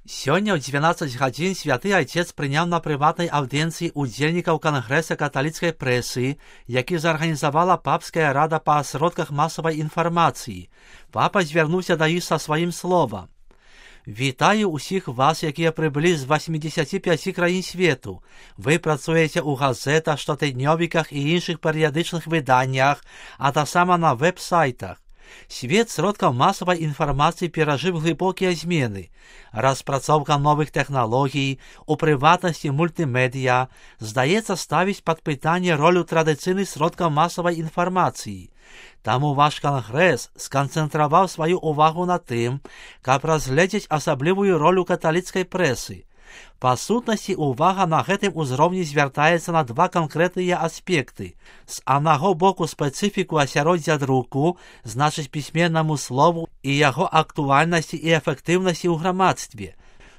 Сёння ў 12 гадзін святы айцец прыняў на прыватнай аўдыенцыі удзельнікаў кангрэса каталіцкай прэсы, які зарганізавала папская рада па сродках масавай інфармацыі. Папа звярнуўся да іх са сваім словам. Вітаю ўсіх вас, якія прыбылі з 85 краін свету. Вы працуеце ў газетах, штотыднёвіках і іншых перыядычных выданнях, а таксама на веб-сайтах. Свет сродкаў масавай інфармацыі перажыў глыбокія змены. Распрацоўка новых тэхналогій, у прыватнасці мультымедыя, здаецца ставіць пад пытанне ролю традыцыйных сродкаў масавай інфармацыі. Таму ваш кангрэс сканцэнтраваў сваю ўвагу на тым, каб разгледзець асаблівую ролю каталіцкай прэсы. Па сутнасці, увага на гэтым узроўні звяртаецца на два канкрэтныя аспекты. З аднаго боку спецыфіку асяроддзя друку, значыць пісьменнаму слову і яго актуальнасці і эфектыўнасці ў грамадстве.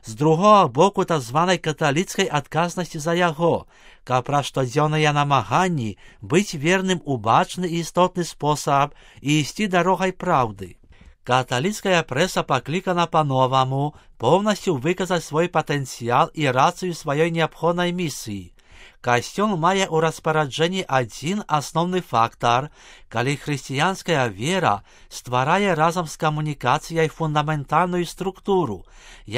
З другога боку так званай каталіцкай адказнасці за яго, каб пра штодзённыя намаганні быць верным у бачны і істотны спосаб і ісці дарогай праўды. Каталіцкая прэса паклікана па-новаму поўнасцю выказаць свой патэнцыял і рацыю сваёй неабходнай місіі. Касцёл мае ў распараджэнні адзін асноўны фактар, калі хрысціянская вера стварае разам з камунікацыяй фундаментальную структуру,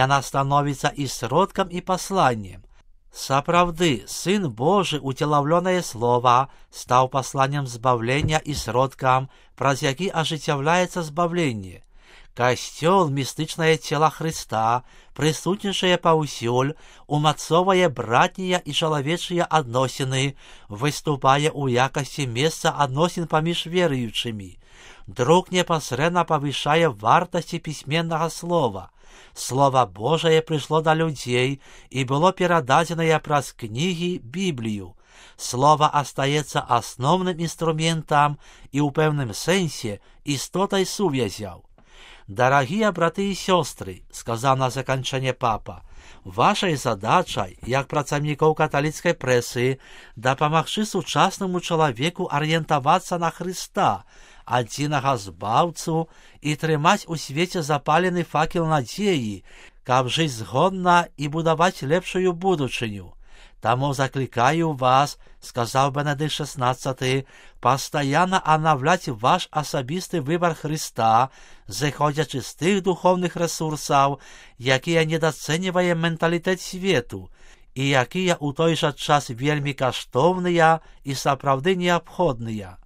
яна становіцца і сродкам, і пасланнем. Сапраўды, Сын Божы, уцелаўлёнае слова, стаў пасланнем збавлення і сродкам, праз які ажыццяўляецца збавленне. Касцёл, містычнае цела Хрыста, прысутнічае паўсюль, умацоўвае братнія і чалавечыя адносіны, выступае ў якасці месца адносін паміж веруючымі. Друк непасрэдна павышае вартасці пісьменнага слова. Слова Божае прыйшло да людзей і было перададзенае праз кнігі Біблію. Слова астаецца асноўным інструментам і ў пэўным сэнсе істотай сувязяў. Дарагія браты і сёстры, сказаў на заканчэнне папа, вашай задачай, як працаўнікоў каталіцкай прэсы, дапамагчы сучаснаму чалавеку арыентавацца на Хрыста, адзінага збаўцу, і трымаць у свеце запалены факел надзеі, каб жыць згодна і будаваць лепшую будучыню. Таму заклікаю вас, сказаў Бенедыкт XVI, пастаянна анаўляць ваш асабісты выбар Хрыста, зыходзячы з тых духоўных рэсурсаў, якія недацэньвае менталітэт свету, і якія ў той жа час вельмі каштоўныя і сапраўды неабходныя.